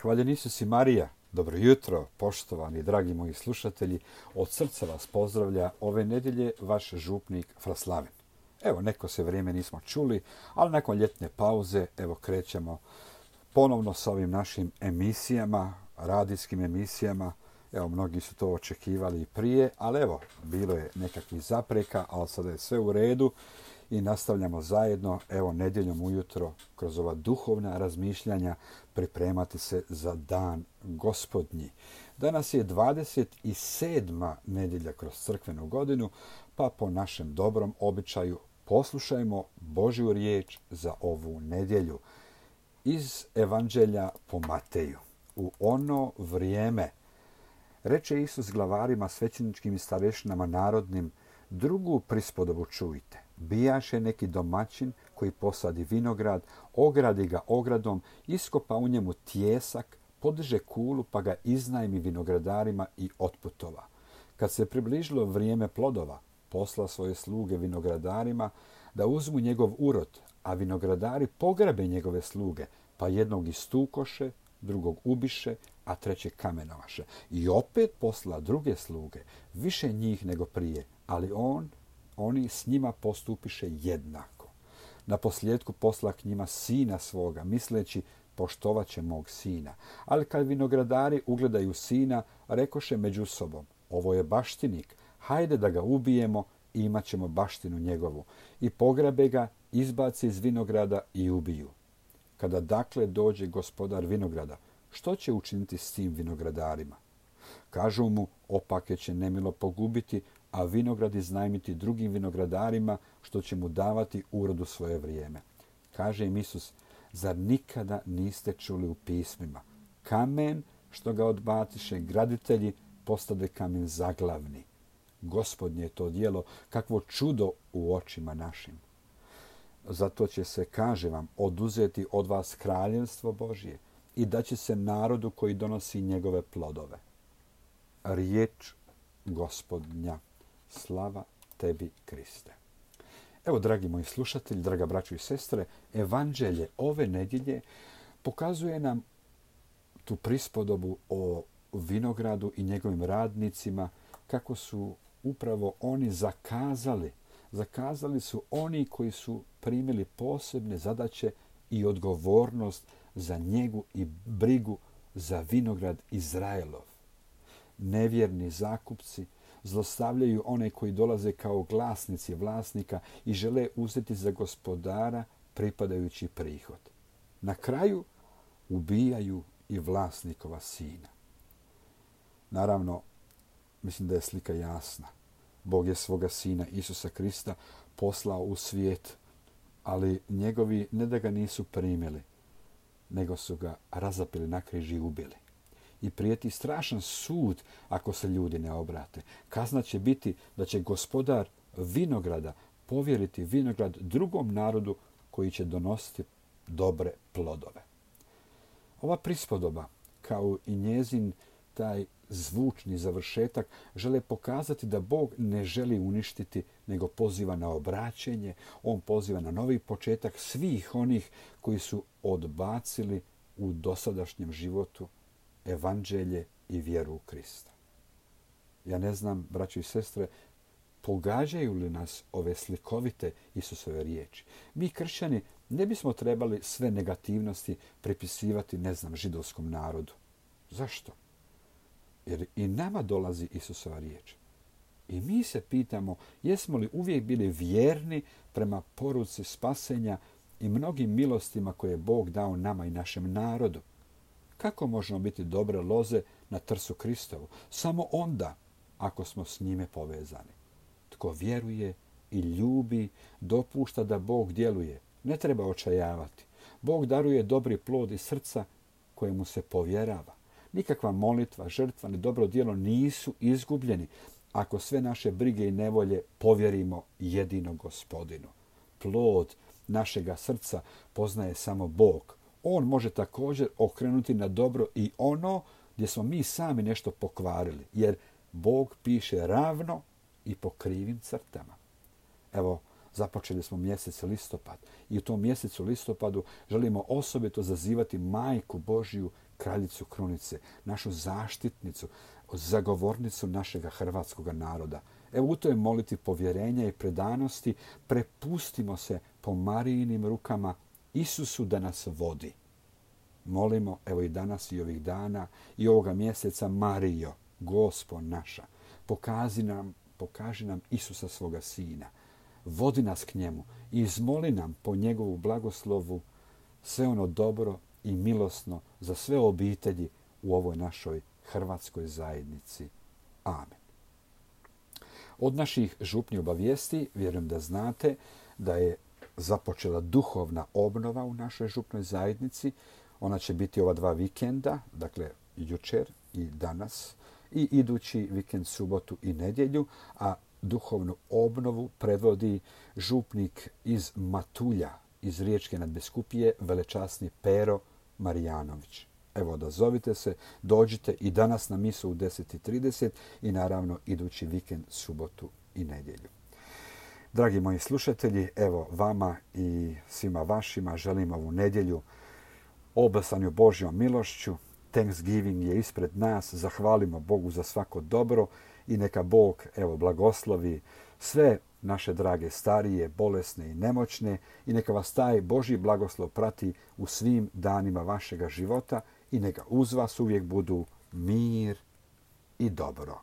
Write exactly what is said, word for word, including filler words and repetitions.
Hvaljen Isus i Marija, dobro jutro, poštovani dragi moji slušatelji. Od srca vas pozdravlja ove nedjelje vaš župnik Fraslaven. Evo, neko se vrijeme nismo čuli, ali nakon ljetne pauze, evo krećemo ponovno sa ovim našim emisijama, radijskim emisijama. Evo, mnogi su to očekivali i prije, ali evo, bilo je nekakvih zapreka, ali sada je sve u redu i nastavljamo zajedno, evo, nedjeljom ujutro, kroz ova duhovna razmišljanja, pripremati se za dan Gospodnji. Danas je dvadeset sedma nedjelja kroz crkvenu godinu, pa po našem dobrom običaju poslušajmo Božju riječ za ovu nedjelju. Iz Evanđelja po Mateju. U ono vrijeme reče Isus glavarima, svećeničkim i starešinama narodnim, drugu prispodobu čujte. Bijaše neki domaćin koji posadi vinograd, ogradi ga ogradom, iskopa u njemu tijesak, podiže kulu pa ga iznajmi vinogradarima i otputova. Kad se približilo vrijeme plodova, posla svoje sluge vinogradarima da uzmu njegov urod, a vinogradari pograbe njegove sluge, pa jednog istukoše, drugog ubiše, a treće kamenovaše. I opet posla druge sluge, više njih nego prije, ali on, oni s njima postupiše jednako. Na posljedku posla k njima sina svoga, misleći poštovat će mog sina. Ali kad vinogradari ugledaju sina, rekoše među sobom, ovo je baštinik, hajde da ga ubijemo i imat ćemo baštinu njegovu. I pograbe ga, izbaci iz vinograda i ubiju. Kada dakle dođe gospodar vinograda, što će učiniti s tim vinogradarima? Kažu mu, opake će nemilo pogubiti, a vinograd iznajmiti drugim vinogradarima, što će mu davati urodu svoje vrijeme. Kaže im Isus, zar nikada niste čuli u pismima? Kamen što ga odbatiše graditelji, postade kamen zaglavni. Gospodnje je to djelo, kakvo čudo u očima našim. Zato će se, kaže vam, oduzeti od vas kraljevstvo Božje i da će se narodu koji donosi njegove plodove. Riječ Gospodnja. Slava tebi, Kriste. Evo, dragi moji slušatelji, draga braćo i sestre, Evanđelje ove nedjelje pokazuje nam tu prispodobu o vinogradu i njegovim radnicima, kako su upravo oni zakazali. Zakazali su oni koji su primili posebne zadaće i odgovornost za njegu i brigu za vinograd Izraelov. Nevjerni zakupci zlostavljaju one koji dolaze kao glasnici vlasnika i žele uzeti za gospodara pripadajući prihod. Na kraju ubijaju i vlasnikova sina. Naravno, mislim da je slika jasna. Bog je svoga sina Isusa Krista poslao u svijet, ali njegovi ne da ga nisu primili, nego su ga razapili na križ i ubili. I prijeti strašan sud ako se ljudi ne obrate. Kazna će biti da će gospodar vinograda povjeriti vinograd drugom narodu koji će donositi dobre plodove. Ova prispodoba, kao i njezin taj zvučni završetak, žele pokazati da Bog ne želi uništiti, nego poziva na obraćenje. On poziva na novi početak svih onih koji su odbacili u dosadašnjem životu Evanđelje i vjeru u Krista. Ja ne znam, braćo i sestre, pogađaju li nas ove slikovite Isusove riječi? Mi, kršćani, ne bismo trebali sve negativnosti pripisivati, ne znam, židovskom narodu. Zašto? Jer i nama dolazi Isusova riječ. I mi se pitamo, jesmo li uvijek bili vjerni prema poruci spasenja i mnogim milostima koje je Bog dao nama i našem narodu? Kako možemo biti dobre loze na trsu Kristovu? Samo onda, ako smo s njime povezani. Tko vjeruje i ljubi, dopušta da Bog djeluje. Ne treba očajavati. Bog daruje dobri plod iz srca kojemu se povjerava. Nikakva molitva, žrtva ni dobro djelo nisu izgubljeni ako sve naše brige i nevolje povjerimo jedinom Gospodinu. Plod našega srca poznaje samo Bog. On može također okrenuti na dobro i ono gdje smo mi sami nešto pokvarili, jer Bog piše ravno i po krivim crtama. Evo, započeli smo mjesec listopad i u tom mjesecu listopadu želimo osobito zazivati Majku Božju kraljicu krunice, našu zaštitnicu, zagovornicu našega hrvatskog naroda. Evo u toj moliti povjerenja i predanosti prepustimo se po Marijinim rukama Isusu da nas vodi. Molimo, evo i danas i ovih dana i ovoga mjeseca, Marijo, Gospo naša, pokaži nam, pokaži nam Isusa svoga Sina. Vodi nas k njemu i izmoli nam po njegovu blagoslovu sve ono dobro i milosno za sve obitelji u ovoj našoj hrvatskoj zajednici. Amen. Od naših župnih obavijesti vjerujem da znate da je započela duhovna obnova u našoj župnoj zajednici. Ona će biti ova dva vikenda, dakle jučer i danas, i idući vikend, subotu i nedjelju, a duhovnu obnovu predvodi župnik iz Matulja, iz Riječke nadbiskupije, velečasni Pero Marijanović. Evo, odazovite se, dođite i danas na misu u deset i trideset i naravno idući vikend, subotu i nedjelju. Dragi moji slušatelji, evo vama i svima vašima želim ovu nedjelju oblasanju Božjom milošću. Thanksgiving je ispred nas, zahvalimo Bogu za svako dobro i neka Bog evo blagoslovi sve naše drage starije, bolesne i nemoćne i neka vas taj Božji blagoslov prati u svim danima vašega života i neka uz vas uvijek budu mir i dobro.